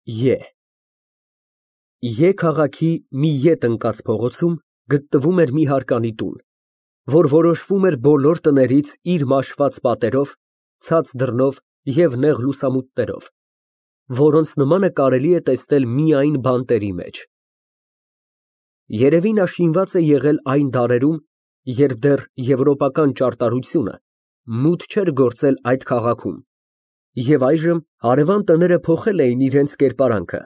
Ե Ե քաղաքի մի ետ ընկած փողոցում գտնվում էր մի հարկանի տուն, որ որոշվում էր բոլոր տներից իր մաշված պատերով, ցած դռնով և նեղ լուսամուտներով, որոնց նմանը կարելի է տեսնել միայն բանտերի մեջ։ Երևի նա շինված է եղել այն դարերում, երբ դեռ եվրոպական ճարտարությունը մուտ չէր գործել այդ քաղաքում, և այժմ հարևան տները փոխել էին իրենց կերպարանքը,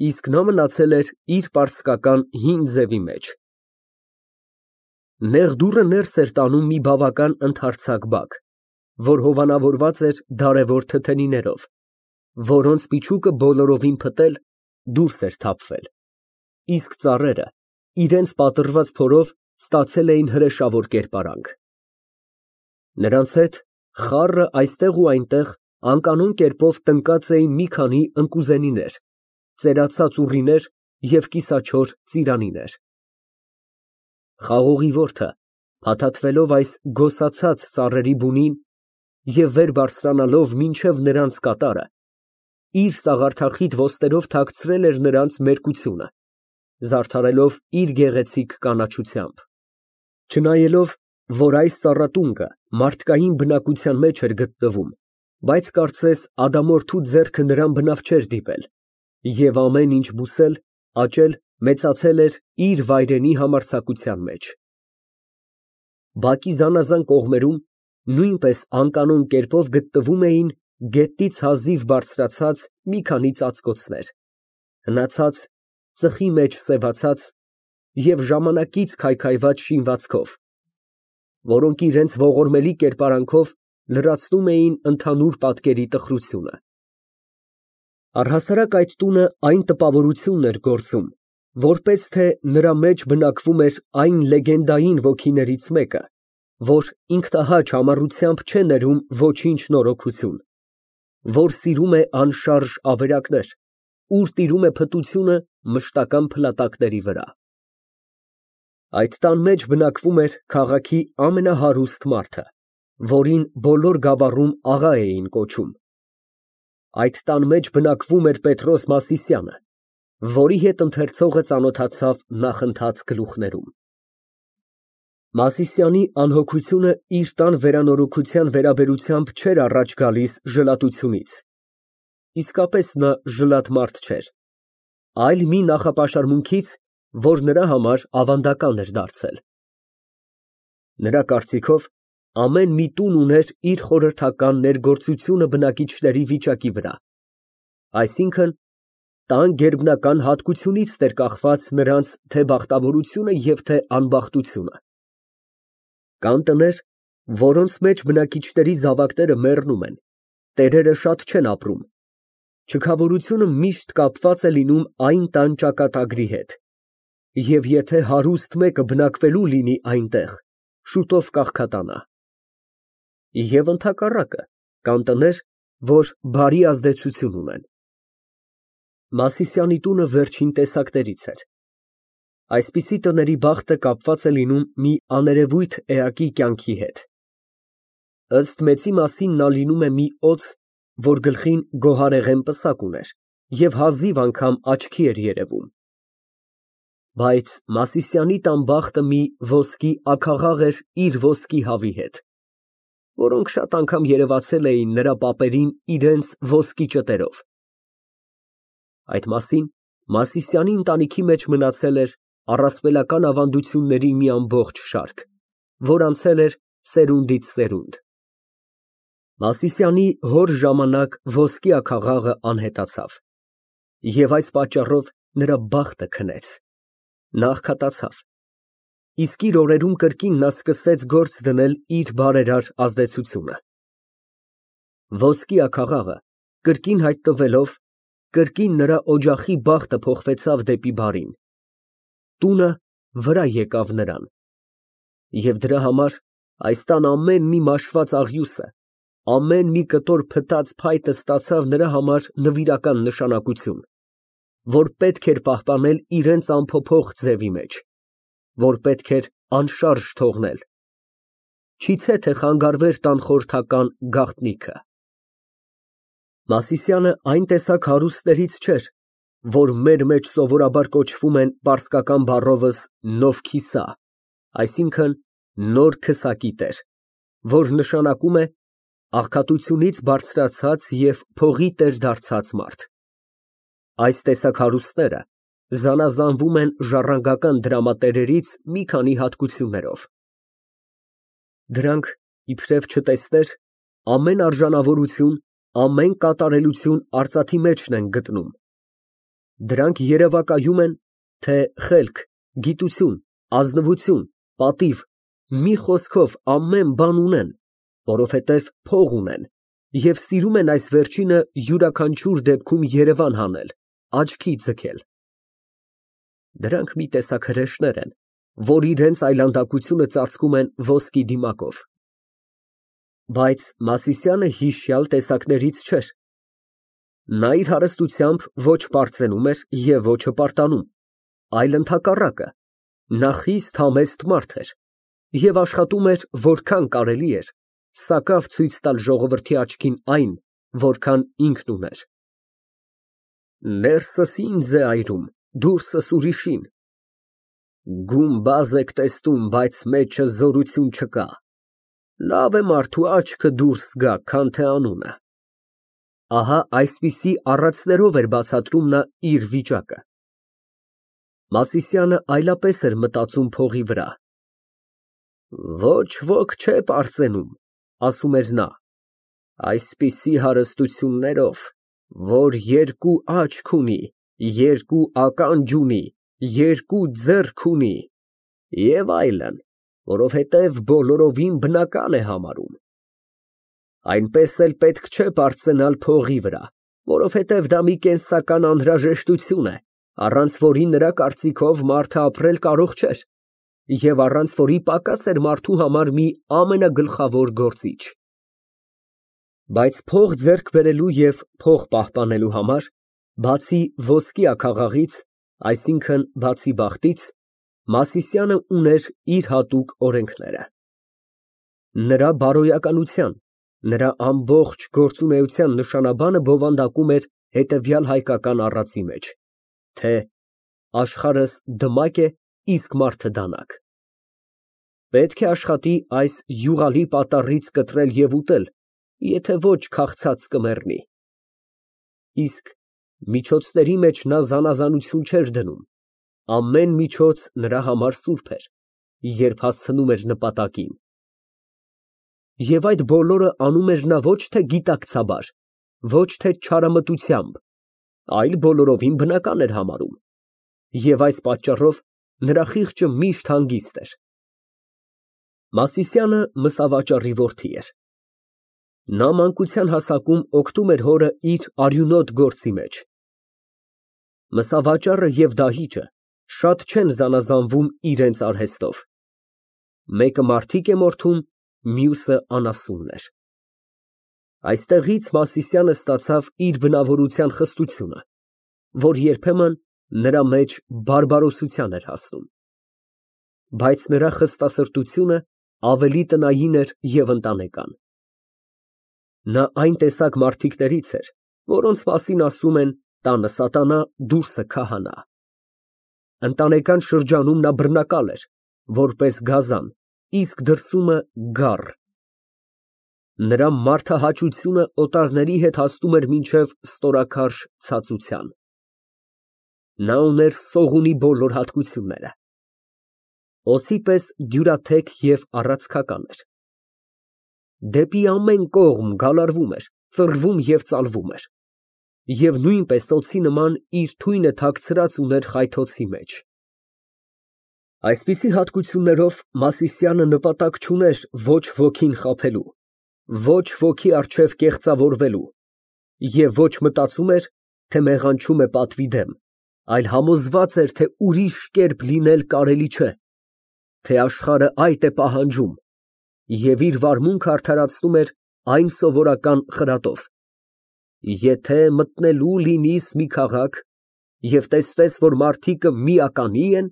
իսկ նա մնացել էր իր պարսկական հին ձևի մեջ։ Նեղ դուռը ներս էր տանում մի բավական ընդարձակ բակ, որ հովանավորված էր դարևոր թթենիներով, որոնց միջուկը բոլորովին փտել, դուրս էր թափվել, իսկ ծառերը իրենց պատռված փորով ստացել էին հրեշավոր կերպարանք։ Նրանց հետ խառը այստեղ ու այնտեղ անկանոն կերպով տնկած էին մի քանի ընկուզենիներ, ծերացած ուռիներ և կիսաքյոր ծիրանիներ։ Խաղողի որդը, փաթաթվելով այս գոսացած ծառերի բունին և վեր բարձրանալով մինչև նրանց կատարը, իր սաղարթախիտ ոստերով թաքցրել էր նրանց մերկությունը, զարդարելով իր գեղեցիկ կանաչությամբ։ Չնայելով, որ այս ծառատունկը մարդկային բնակության մեջ էր գտնվում, բայց կարծես ադամորդու ձեռքը նրան բնավ չէր դիպել, և ամեն ինչ բուսել, աճել, մեծացել էր իր վայրենի համարձակության մեջ։ Բակի զանազան կողմերում նույնպես անկանոն կերպով գտնվում էին գետից հազիվ բարձրացած մի քանի ծածկոցներ, հնացած, ծխի մեջ սևացած և ժամանակից քայքայված շինվածքով, որոնք իրենց ողորմելի կերպարանքով լրացնում էին ընդհանուր պատկերի տխրությունը։ Առհասարակ այդ տունը այն տպավորությունն էր գործում, որպես թե նրա մեջ բնակվում էր այն լեգենդային ոգիներից մեկը, որ ինքնահաճ համառությամբ չէ ներում ոչինչ նորոգություն, որ սիրում է անշարժ ավերակներ, ուր տիրում է փտությունը մշտական փլատակների վրա։ Այդ տան մեջ բնակվում էր քաղաքի ամենահարուստ մարդը, որին բոլոր գավառում աղա էին կոչում։ Այդ տան մեջ բնակվում էր Պետրոս Մասիսյանը, որի հետ ընթերցողը ծանոթացավ նախընթաց գլուխներում։ Մասիսյանի անհոգությունը իր տան վերանորոգության վերաբերությամբ չէր առաջ գալիս ժլատությունից, իսկապես նա ժլատ մարդ չէր, այլ մի նախապաշարմունքից, որ նրա համար ավանդական էր դարձել։ Նրա կարծիքով, ամեն մի տուն ուներ իր խորհրդական ներգործությունը բնակիչների վիճակի վրա, այսինքն՝ տան գերբնական հատկությունից էր կախված նրանց թե բախտավորությունը և թե անբախտությունը։ Կան տներ, որոնց մեջ բնակիչների զավակները մեռնում են, տերերը շատ չեն ապրում, չքավորությունը միշտ կապված է լինում այն տան ճակատագրի հետ, և եթե հարուստ մեկը բնակվելու լինի այնտեղ, շուտով կաղքատանա։ Եվ ընդհակառակը, կան տներ, որ բարի ազդեցություն ունեն։ Մասիսյանի տունը վերջին տեսակներից էր։ Այսպիսի տների բախտը կապված է լինում մի աներևույթ էակի կյանքի հետ։ Ըստ մեծի մասին նա լինում է մի օձ, որ գլխին գոհարեղեն պսակ ուներ և հազիվ անգամ աչքի էր երևում։ Բայց Մասիսյանի տան բախտը մի ոսկի աքաղաղ էր իր ոսկի հավի հետ, որոնք շատ անգամ երևացել էին նրա պապերին իրենց ոսկի ճտերով։ Այդ մասին Մասիսյանի ընտանիքի մեջ մնացել էր առասպելական ավանդությունների մի ամբողջ շարք, որ անցել էր սերունդից սերունդ։ Մասիսյանի հոր ժամանակ ոսկի աքաղաղը անհետացավ, և այս պատճառով նրա բախտը քնեց, նա աղքատացավ, իսկ իր օրերում կրկին նա սկսեց գործ դնել իր բարերար ազդեցությունը։ Ոսկի աքաղաղը կրկին հայտնվելով, կրկին նրա օջախի բախտը փոխվեցավ դեպի բարին, տունը վրա եկավ նրան, և դրա համար այս տան ամեն մի մաշված աղյուսը, ամեն մի կտոր փտած փայտը ստացավ նրա համար նվիրական նշանակություն, որ պետք էր պահպանել իրենց անփոփոխ ձևի մեջ, որ պետք էր անշարժ թողնել, չիցե թե խանգարվեր տան խորհրդական գաղտնիքը։ Մասիսյանը այն տեսակ հարուստներից չէր, որ մեր մեջ սովորաբար կոչվում են պարսկական բառովս Նովքիսա, այսինքն նոր քսակի տեր, որ նշանակում է աղքատությունից բարձրացած և փողի տեր դարձած մարդ։ Այս տեսակ հարուստները զանազանվում են ժառանգական դրամատերերից մի քանի հատկություններով. դրանք, իբրև չտեսներ, ամեն արժանավորություն, ամեն կատարելություն արծաթի մեջն են գտնում. դրանք երևակայում են, թե խելք, գիտություն, ազնվություն, պատիվ, մի խոսքով ամեն բան ունեն, որովհետև փող ունեն և սիրում են այս վերջինը յուրաքանչյուր դեպքում երևան հանել, աչքի ձգել։ Դրանք մի տեսակ հրեշներ են, որ իրենց այլանդակությունը ծածկում են ոսկի դիմակով։ Բայց Մասիսյանը հիշյալ տեսակներից չէր։ Նա իր հարստությամբ ոչ պարծենում էր և ոչ հպարտանում, այլ ընդհակառակը, նա խիստ համեստ մարդ էր և աշխատում էր որքան կարելի էր սակավ ցույց տալ ժողովրդի աչքին այն, որքան ինքն ուներ։ Ներսս ինձ է այրում, դուրսս ուրիշին, գումբազ եք տեսնում, բայց մեջը զորություն չկա, լավ է մարդու աչքը դուրս գա, քան թե անունը։ Ահա այսպիսի առածներով էր բացատրում նա իր վիճակը։ Մասիսյանը այլապես էր մտածում փողի վրա։ Ոչ ոք չէ պարծենում, ասում էր նա, այսպիսի հարստություններով, որ երկու աչք ունի, երկու ականջ ունի, երկու ձեռք ունի և այլն, որովհետև բոլորովին բնական է համարում։ Այնպես էլ պետք չէ պարծենալ փողի վրա, որովհետև դա մի կենսական անհրաժեշտություն է, առանց որի նրա կարծիքով մարդը ապրել կարող չէր, և առանց որի պակաս էր մարդու համար մի ամենագլխավոր գործիչ։ Բայց փող ձեռք բերելու և փող պահպանելու համար, բացի ոսկի աքաղաղից, այսինքն բացի բախտից, Մասիսյանը ուներ իր հատուկ օրենքները։ Նրա բարոյականության, նրա ամբողջ գործունեության նշանաբանը բովանդակում էր հետևյալ հայկական առածի մեջ, թե աշխարհս դմակ է, իսկ մարդը դանակ։ Պետք է աշխատի այս յուղալի պատառից կտրել և ուտել, եթե ոչ քաղցած կմեռնի։ Իսկ միջոցների մեջ նա զանազանություն չէր դնում, ամեն միջոց նրա համար սուրբ էր, երբ հասցնում էր նպատակին։ Եվ այդ բոլորը անում էր նա ոչ թե գիտակցաբար, ոչ թե չարամտությամբ, այլ բոլորովին բնական էր համարում, և այս պատճառով նրա խիղճը միշտ հանգիստ էր։ Մասիսյանը մսավաճառի որդի էր։ Նա մանկության հասակում օգտում էր հորը իր արյունոտ գործի մեջ։ Մսավաճառը և դահիճը շատ չեն զանազանվում իրենց արհեստով։ Մեկը մարդիկ է մորթում, մյուսը անասուններ։ Այստեղից Մասիսյանը ստացավ իր բնավորության խստությունը, որ երբեմն նրա մեջ բարբարոսության էր հասնում։ Բայց նրա խստասրտությունը ավելի տնային էր և ընտանեկան։ Նա այն տեսակ մարդիկներից էր, որոնց մասին ասում են տանը սատանա, դուրսը քահանա։ Ընտանեկան շրջանում նա բռնակալ էր, որպես գազան, իսկ դրսումը գառ։ Նրա մարդահաճությունը օտարների հետ հասնում էր մինչև ստորաքարշ ցածության։ Նա ուներ սողունի բոլոր հատկությունները։ Օձի պես դյուրաթեք և առացքական էր։ Դեպի ամեն կողմ գալարվում էր, ծռվում և ծալվում էր, և նույնպես օձի նման իր թույնը թաքցրած ուներ խայթոցի մեջ։ Այսպիսի հատկություններով Մասիսյանը նպատակ չուներ ոչ ոքին խաբելու, ոչ ոքի առջև կեղծավորվելու և ոչ մտածում էր, թե մեղանչում է պատվի դեմ, այլ համոզված էր, թե ուրիշ կերպ լինել կարելի չէ, թե աշխարհը այդ է պահանջում, և իր վարմունքը արդարացնում էր այն սովորական խրատով. եթե մտնելու լինիս մի քաղաք և տեսնես, որ մարդիկը միականի են,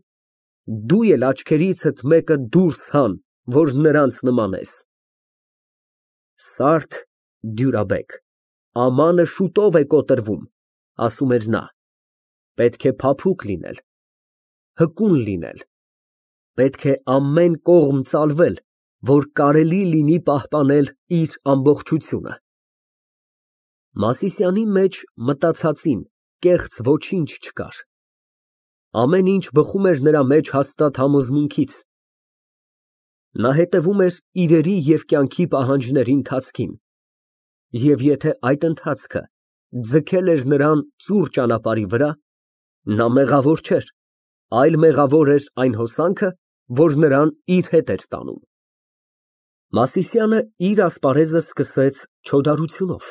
դու էլ աչքերիցդ մեկը դուրս հան, որ նրանց նմանես։ Սարդ, դյուրաբեկ, ամանը շուտով է կոտրվում, ասում էր նա։ Պետք է փափուկ լինել, հկուն լինել, պետք է ամեն կողմ ծալվել, որ կարելի լինի պահպանել իր ամբողջությունը։ Մասիսյանի մեջ մտածածին կեղծ ոչինչ չկար։ Ամեն ինչ բխում էր նրա մեջ հաստատ համոզմունքից։ Նա հետևում էր իրերի և կյանքի պահանջների ընթացքին, և եթե այդ ընթացքը ձգել էր նրան ծուռ ճանապարհի վրա, նա մեղավոր չէր, այլ մեղավոր էր այն հոսանքը, որ նրան իր հետ էր տանում։ Մասիսյանը իր ասպարեզը սկսեց չոդարությունով,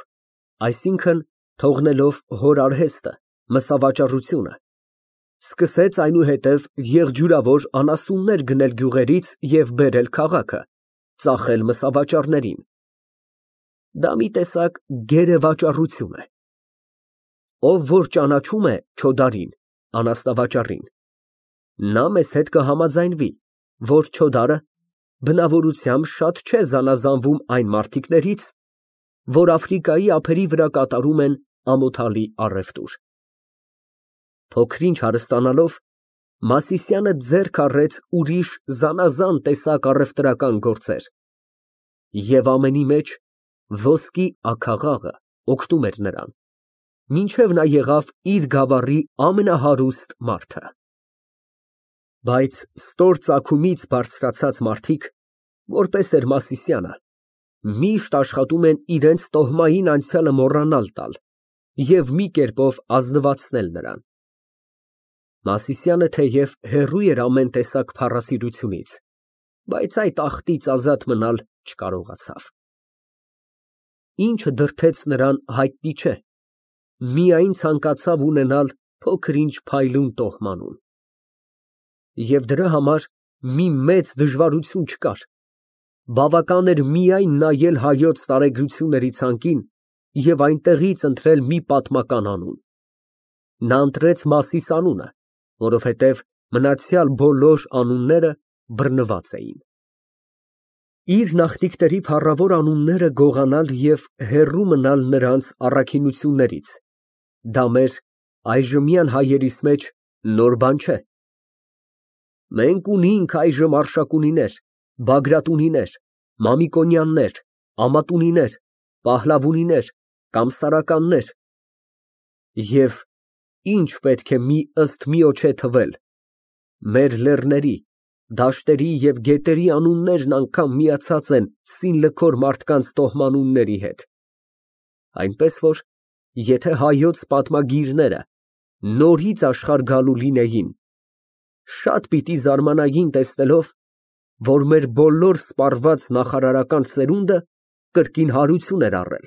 այսինքն թողնելով հոր արհեստը, մսավաճառությունը, սկսեց այնուհետև եղջյուրավոր անասուններ գնել գյուղերից և բերել քաղաքը, ծախել մսավաճառներին։ Դա մի տեսակ գերեվաճառություն է։ Ով որ ճանաչում է չոդարին, անասնավաճառին, նա մեզ հետ կհամաձայնվի, որ չոդարը բնավորությամբ շատ չէ զանազանվում այն մարդիկներից, որ Աֆրիկայի ափերի վրա կատարում են ամոթալի առևտուր։ Փոքր-ինչ հարստանալով, Մասիսյանը ձեռք առեց ուրիշ զանազան տեսակ առևտրական գործեր, և ամենի մեջ ոսկի աքաղաղը օգնում էր նրան, մինչև նա եղավ իր գավառի ամենահարուստ մարդը։ Բայց ստոր ծագումից բարձրացած մարդիկ, որպես էր Մասիսյանը, միշտ աշխատում են իրենց տոհմային անցյալը մոռանալ տալ և մի կերպով ազնվացնել նրան։ Մասիսյանը թեև հեռու էր ամեն տեսակ փառասիրությունից, բայց այդ ախտից ազատ մնալ չկարողացավ։ Ինչը դրդեց նրան հայտնի չէ, միայն ցանկացավ ունենալ փոքր-ինչ փայլուն տոհմանում։ Եվ դրա համար մի մեծ դժվարություն չկար, բավական էր միայն նայել հայոց տարեգրությունների ցանկին և այնտեղից ընտրել մի պատմական անուն։ Նա ընտրեց Մասիս անունը, որովհետև մնացյալ բոլոր անունները բռնված էին։ Իր նախնիքների փառավոր անունները գողանալ և հեռու մնալ նրանց առաքինություններից, դա մեր այժմյան հայերիս մեջ նոր բան չէ։ Մենք ունենք այժմ Արշակունիներ, Բագրատունիներ, Մամիկոնյաններ, Ամատունիներ, Փահլավունիներ կամ Սարականներ, և ինչ պետք է ըստ միոջե թվել, մեր լեռների, դաշտերի և գետերի անուններն անգամ միացած են սինլքոր մարդկանց տոհմանունների հետ, այնպես որ եթե հայոց պատմագիրները նորից աշխարհ գալու լինեին, շատ պիտի զարմանային տեսնելով, որ մեր բոլոր սպառված նախարարական սերունդը կրկին հարություն էր առել։